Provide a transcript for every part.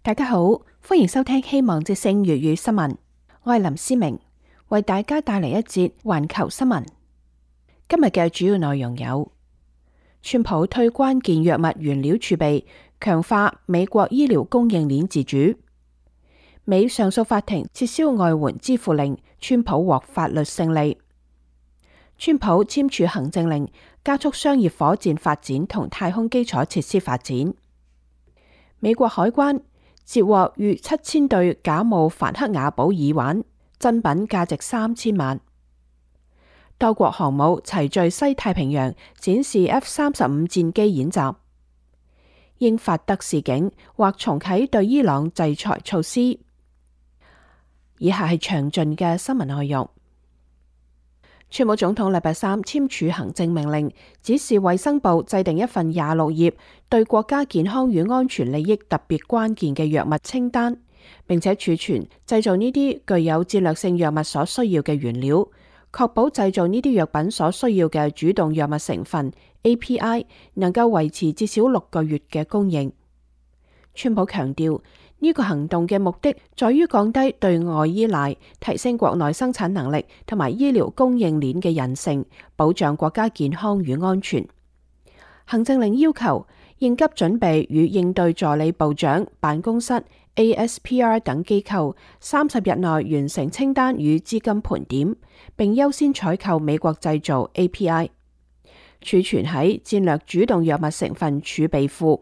大家好，歡迎收聽希望之聲粵語新聞。我係林思明，為大家帶嚟一節環球新聞。今日嘅主要內容有：川普推關鍵藥物原料儲備，強化美國醫療供應鏈自主；美上訴法庭撤銷外援支付令，川普獲法律勝利；川普簽署行政令，加速商業火箭發展同太空基礎設施發展；美國海關截獲逾7000對假冒梵克雅寶耳環，真品價值3000萬。多國航母齊聚西太平洋，展示 F-35戰機演習。英法德示警，或重啟對伊朗制裁措施。以下係詳盡嘅新聞內容。川普總統禮拜三簽署行政命令，指示衛生部制定一份26頁對國家健康與安全利益特別關鍵嘅藥物清單，並且儲存製造呢啲具有戰略性藥物所需要嘅原料，確保製造呢啲藥品所需要嘅主動藥物成分 API 能夠維持至少6個月嘅供應。川普強調，呢個行動嘅目的在於降低對外依賴，提升國內生產能力同埋醫療供應鏈嘅韌性，保障國家健康與安全。行政令要求應急準備與應對助理部長辦公室 ASPR 等機構30日內完成清單與資金盤點，並優先採購美國製造 API， 儲存喺戰略主動藥物成分儲備庫。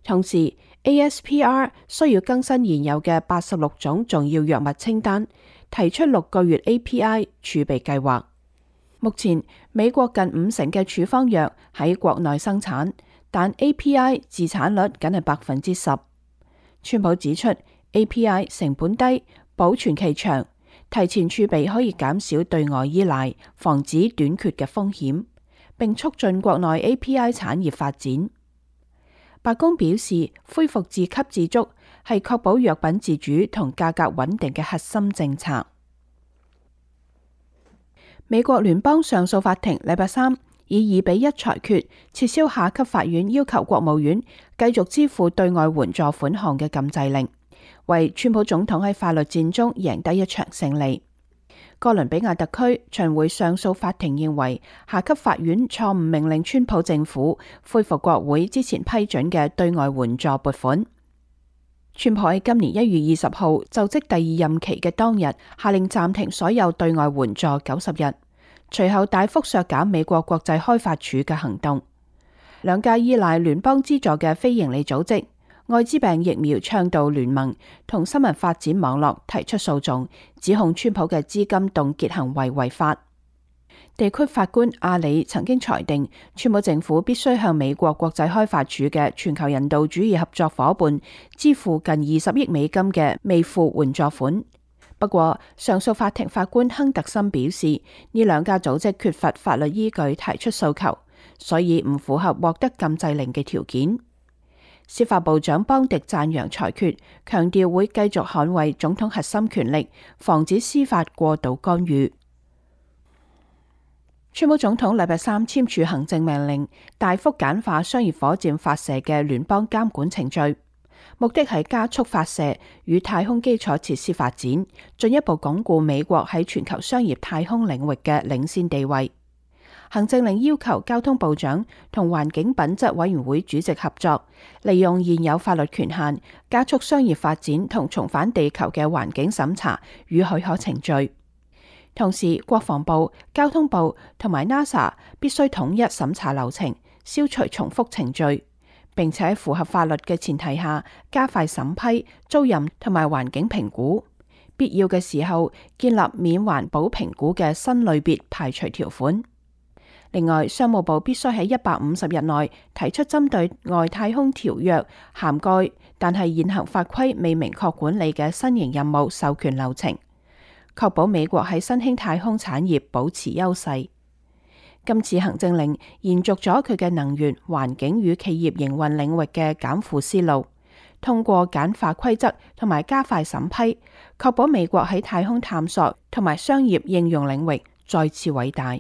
同時ASPR 需要更新現有嘅86種重要藥物清單，提出6個月 API 儲備計劃。目前美國近50%嘅處方藥喺國內生產，但 API 自產率僅係10%。川普指出 API 成本低，保存期長，提前儲備可以減少對外依賴，防止短缺嘅風險，並促進國內 API 產業發展。白宮表示，恢復自給自足係確保藥品自主同價格穩定嘅核心政策。美國聯邦上訴法庭禮拜三以2-1裁決，撤銷下級法院要求國務院繼續支付對外援助款項嘅禁制令，為川普總統喺法律戰中贏得一場勝利。哥倫比亞特區巡迴上訴法庭認為，下級法院錯誤命令川普政府恢復國會之前批准嘅對外援助撥款。川普喺今年1月20號就職第2任期嘅當日，下令暫停所有對外援助90日，隨後大幅削減美國國際開發署嘅行動。兩家依賴聯邦資助嘅非營利組織艾滋病疫苗倡導聯盟同新聞發展網絡提出訴訟，指控川普嘅資金凍結行為違法。地區法官阿里曾經裁定，川普政府必須向美國國際開發署嘅全球人道主義合作夥伴支付近20億美金嘅未付援助款。不過，上訴法庭法官亨特森表示，呢兩家組織缺乏法律依據提出訴求，所以唔符合獲得禁制令嘅條件。司法部長邦迪讚揚裁決，強調會繼續捍衛總統核心權力，防止司法過度干預。川普總統禮拜三簽署行政命令，大幅簡化商業火箭發射嘅聯邦監管程序，目的係加速發射與太空基礎設施發展，進一步鞏固美國喺全球商業太空領域嘅領先地位。行政令要求交通部長同環境品質委員會主席合作，利用現有法律權限，加速商業發展同重返地球嘅環境審查與許可程序。同時，國防部、交通部同埋 NASA 必須統一審查流程，消除重複程序，並且喺符合法律嘅前提下，加快審批、租賃同埋環境評估。必要嘅時候，建立免環保評估嘅新類別排除條款。另外，商務部必須喺150日內提出針對外太空條約涵蓋但係現行法規未明確管理嘅新型任務授權流程，確保美國喺新興太空產業保持優勢。今次行政令延續咗佢嘅能源、環境與企業營運領域嘅減負思路，通過簡化規則同埋加快審批，確保美國喺太空探索同埋商業應用領域再次偉大。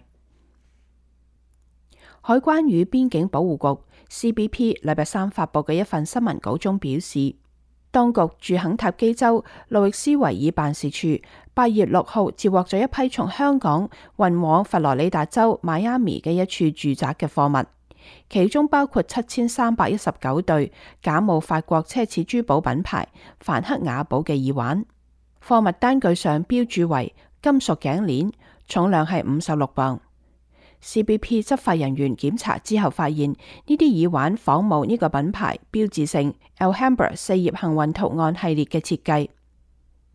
海關與邊境保護局 CBP 禮拜三發佈嘅一份新聞稿中表示，當局駐肯塔基州路易斯維爾辦事處8月6號接獲咗一批從香港運往佛羅里達州邁阿密嘅一處住宅嘅貨物，其中包括7319對假冒法國奢侈珠寶品牌梵克雅寶嘅耳環。貨物單據上標注為金屬頸鏈，重量係56磅。CBP 執法人員檢查之後發現，呢啲耳環仿冒呢個品牌標誌性 Alhambra 4葉幸運圖案系列嘅設計。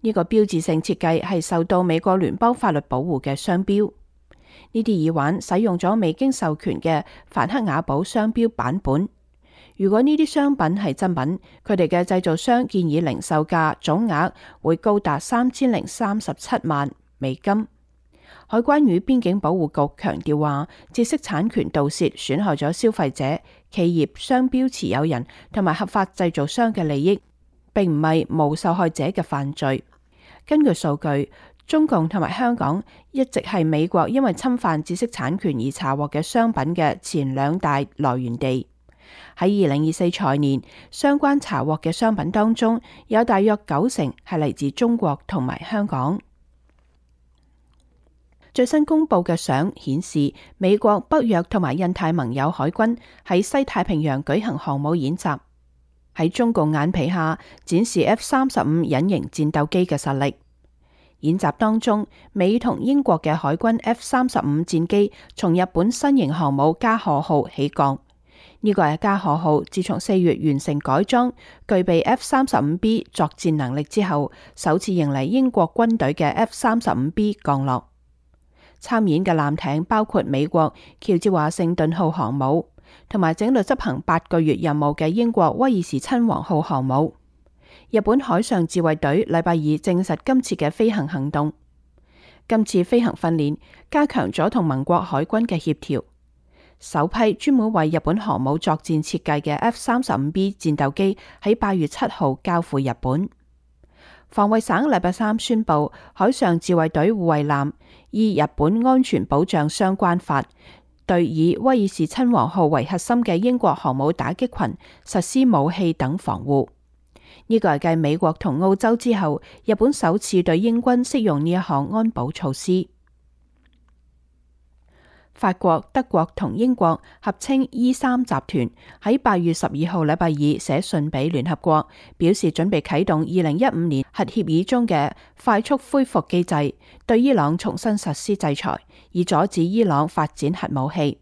呢個標誌性設計係受到美國聯邦法律保護嘅商標。呢啲耳環使用咗未經授權嘅梵克雅寶商標版本。如果呢啲商品係真品，佢哋嘅製造商建議零售價總額會高達3037萬美金。海關與邊境保護局強調話，知識產權盜竊損害咗消費者、企業、商標持有人同埋合法製造商嘅利益，並唔係無受害者嘅犯罪。根據數據，中共同埋香港一直係美國因為侵犯知識產權而查獲嘅商品嘅前兩大來源地。喺2024財年，相關查獲嘅商品當中，有大約90%係嚟自中國同埋香港。最新公布嘅相顯示，美國、北約同埋印太盟友海軍喺西太平洋舉行航母演習，喺中共眼皮下展示 F-35隱形戰鬥機嘅實力。演習當中，美同英國嘅海軍 F-35戰機從日本新型航母加賀號起降。呢個係加賀號自從4月完成改裝，具備 F-35B 作戰能力之後，首次迎嚟英國軍隊嘅 F-35B 降落。參演嘅艦艇包括美國喬治華盛頓號航母，同埋整隊執行8個月任務嘅英國威爾士親王號航母。日本海上自衛隊禮拜二證實今次嘅飛行行動。今次飛行訓練加強咗同盟國海軍嘅協調。首批專門為日本航母作戰設計嘅 F-35B 戰鬥機喺8月7號交付日本。防衛省禮拜三宣布，海上自衛隊護衛艦依日本安全保障相關法，對以威爾士親王號為核心嘅英國航母打擊群實施武器等防護。呢個係繼美國同澳洲之後，日本首次對英軍適用呢一項安保措施。法國、德國同英國合稱 E3 集團喺8月12號禮拜二寫信俾聯合國，表示準備啟動2015年核協議中嘅快速恢復機制，對伊朗重新實施制裁，以阻止伊朗發展核武器。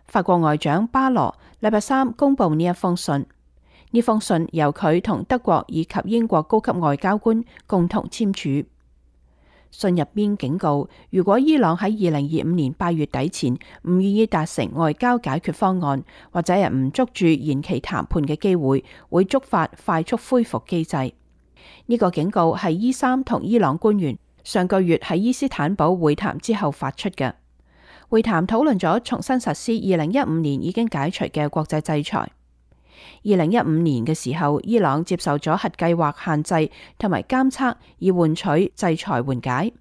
法國外長巴羅禮拜三公布呢一封信，呢封信由佢同德國以及英國高級外交官共同簽署。信入邊警告，如果伊朗喺2025年8月底前唔願意達成外交解決方案，或者係唔捉住延期談判嘅機會，會觸發快速恢復機制。呢個警告係E3同伊朗官員上個月喺伊斯坦堡會談之後發出嘅。會談討論咗重新實施2015年已經解除嘅國際制裁。2015年嘅時候，伊朗接受咗核計劃限制同埋監測，以換取制裁緩解。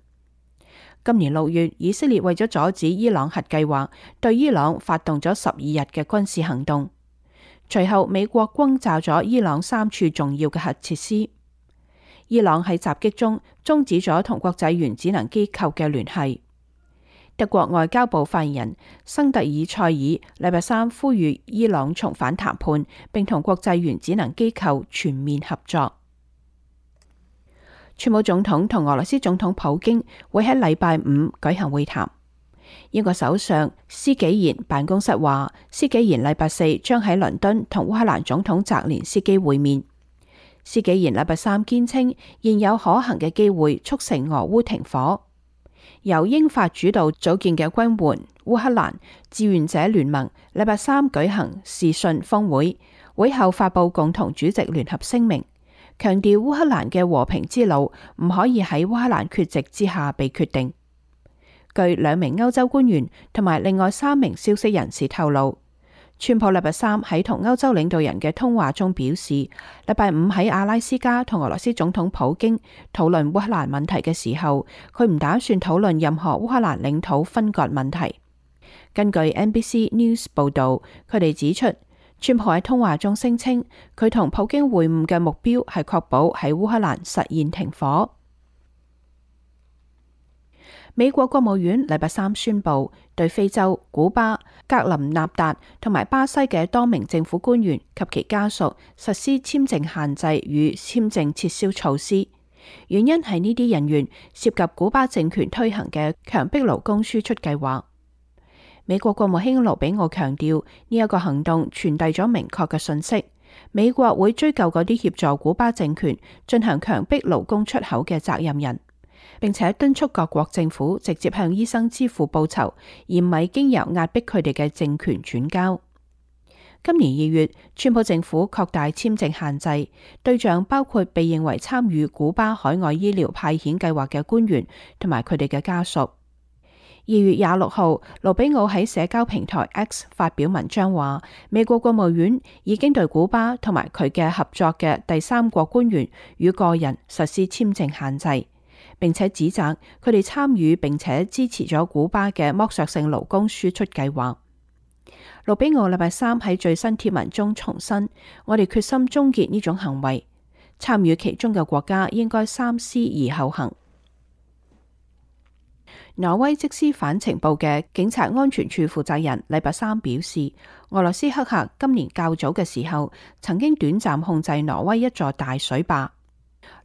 今年6月，以色列為咗阻止伊朗核計劃，對伊朗發動咗12日嘅軍事行動。隨後，美國轟炸咗伊朗3處重要嘅核設施。伊朗喺襲擊中終止咗同國際原子能機構嘅聯繫。德國外交部發言人生特爾塞爾禮拜三呼籲伊朗重返談判，並同國際原子能機構全面合作。川普總統同俄羅斯總統普京會喺禮拜五舉行會談。英國首相施紀賢辦公室話，施紀賢禮拜四將喺倫敦同烏克蘭總統澤連斯基會面。施紀賢禮拜三堅稱，現有可行嘅機會促成俄烏停火。由英法主導組建嘅軍援烏克蘭志願者聯盟禮拜三舉行視訊峰會，會後發佈共同主席聯合聲明，強調烏克蘭嘅和平之路唔可以喺烏克蘭缺席之下被決定。據2名歐洲官員同埋另外3名消息人士透露，川普禮拜三喺同歐洲領導人嘅通話中表示，禮拜五喺阿拉斯加同俄羅斯總統普京討論烏克蘭問題嘅時候，佢唔打算討論任何烏克蘭領土分割問題。根據 NBC News 報道，佢哋指出，川普喺通話中聲稱，佢同普京會晤嘅目標係確保喺烏克蘭實現停火。美國國務院禮拜三宣布，對非洲、古巴、格林納達同埋巴西嘅多名政府官員及其家屬實施簽證限制與簽證撤銷措施，原因係呢啲人員涉及古巴政權推行嘅強迫勞工輸出計劃。美國國務卿盧比奧強調，呢一個行動傳遞咗明確嘅訊息，美國會追究嗰啲協助古巴政權進行強迫勞工出口嘅責任人，並且敦促各國政府直接向醫生支付報酬，而唔係經由壓迫佢哋嘅政權轉交。今年2月，川普政府擴大簽證限制，對象包括被認為參與古巴海外醫療派遣計劃嘅官員同埋佢哋嘅家屬。2月26號，盧比奧喺社交平台 X 發表文章話，美國國務院已經對古巴同埋佢嘅合作嘅第三國官員與個人實施簽證限制，並且指責佢哋參與並且支持咗古巴嘅剝削性勞工輸出計劃。盧比奧禮拜三喺最新貼文中重申，我哋決心終結呢種行為，參與其中嘅國家應該三思而後行。挪威即時反情報嘅警察安全處負責人禮拜三表示，俄羅斯黑客今年較早嘅時候曾經短暫控制挪威一座大水壩。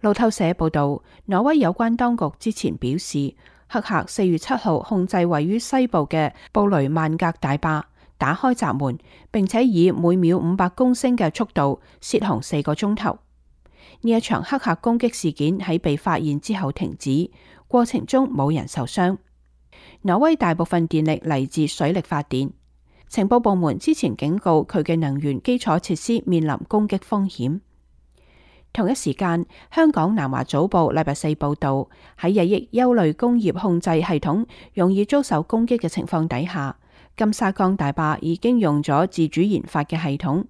路透社報道，挪威有關當局之前表示，黑客4月7號控制位於西部嘅布雷曼格大壩，打開閘門，並且以每秒500公升嘅速度洩洪4個鐘頭。呢一場黑客攻擊事件喺被發現之後停止，過程中冇人受傷。挪威大部分電力嚟自水力發電。情報部門之前警告佢嘅能源基礎設施面臨攻擊風險。同一時間，香港南華早報禮拜四報道，喺日益憂慮工業控制系統容易遭受攻擊嘅情況底下，金沙江大壩已經用咗自主研發嘅系統。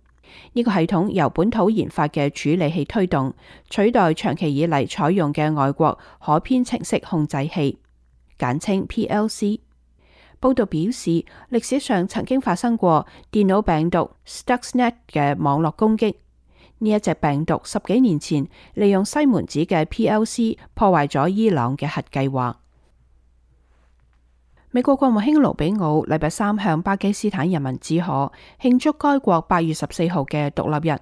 呢個系統由本土研發嘅處理器推動，取代長期以嚟採用嘅外國可編程式控制器，簡稱 PLC。報道表示，歷史上曾經發生過電腦病毒 Stuxnet 嘅網絡攻擊。呢一隻病毒10幾年前利用西門子嘅 PLC 破壞咗伊朗嘅核計劃。美國國務卿盧比奧禮拜三向巴基斯坦人民致賀，慶祝該國8月14號嘅獨立日，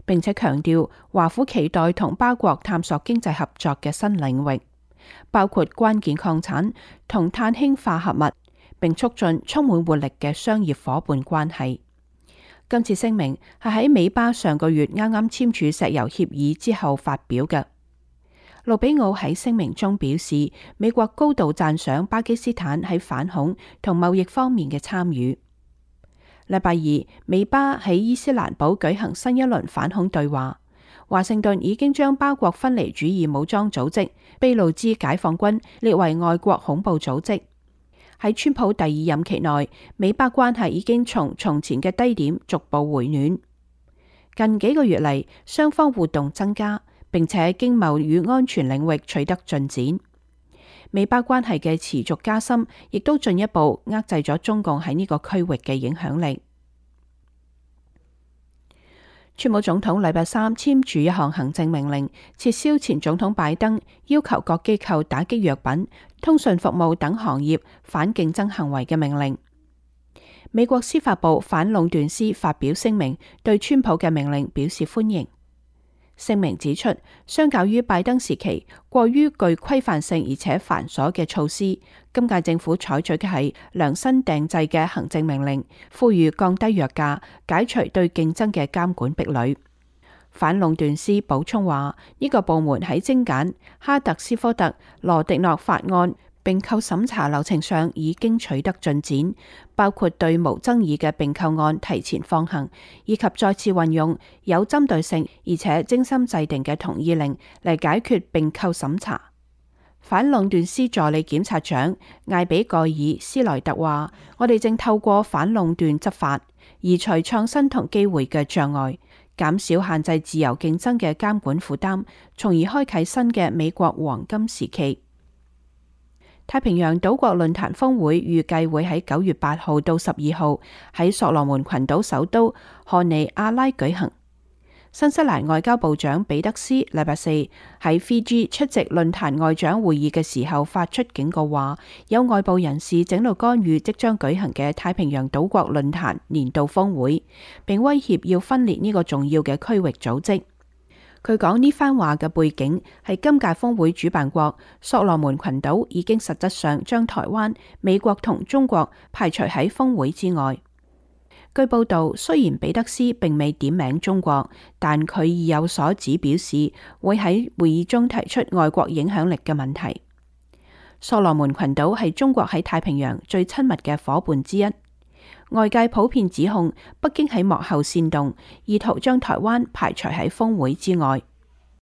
並且強調華府期待同巴國探索經濟合作嘅新領域，包括關鍵礦產同碳氫化合物，並促進充滿活力嘅商業夥伴關係。今次聲明係喺美巴上個月啱啱簽署石油協議之後發表嘅。盧比奧喺聲明中表示，美國高度讚賞巴基斯坦喺反恐同貿易方面嘅參與。禮拜二，美巴喺伊斯蘭堡舉行新一輪反恐對話。華盛頓已經將巴國分離主義武裝組織俾路支解放軍列為外國恐怖組織。喺川普第2任期內，美巴關係已經從從前嘅低點逐步回暖。近幾個月嚟，雙方活動增加，並且經貿與安全領域取得進展。美巴關係嘅持續加深，亦都進一步遏制咗中共喺呢個區域嘅影響力。川普總統禮拜三簽署一項行政命令，撤銷前總統拜登要求各機構打擊藥品、通訊服務等行業反競爭行為嘅命令。美國司法部反壟斷司發表聲明，對川普嘅命令表示歡迎。聲明指出，相較於拜登時期過於具規範性而且繁瑣嘅措施，今屆政府採取嘅係量身訂製嘅行政命令，呼籲降低藥價，解除對競爭嘅監管壁壘。反壟斷司補充話，呢個部門喺精簡哈特斯科特羅迪諾法案併購審查流程上已經取得進展，包括對無爭議嘅併購案提前放行，以及再次運用有針對性而且精心制定嘅同意令嚟解決併購審查。反壟斷司助理檢察長艾比蓋爾斯萊特話：我哋正透過反壟斷執法，移除創新同機會嘅障礙，減少限制自由競爭嘅監管負擔，從而開啟新嘅美國黃金時期。太平洋島國論壇峰會預計會喺9月8號到12號喺所羅門群島首都荷尼亞拉舉行。新西蘭外交部長彼得斯禮拜四喺 Fiji 出席論壇外長會議嘅時候發出警告，話有外部人士整度干預即將舉行嘅太平洋島國論壇年度峰會，並威脅要分裂呢個重要嘅區域組織。佢講呢番話嘅背景係今屆峰會主辦國所羅門群島已經實質上將台灣、美國同中國排除喺峰會之外。據報道，雖然彼得斯並未點名中國，但佢已有所指表示會喺會議中提出外國影響力嘅問題。所羅門群島係中國喺太平洋最親密嘅夥伴之一，外界普遍指控北京喺幕後煽動，意圖將台灣排除喺峰會之外。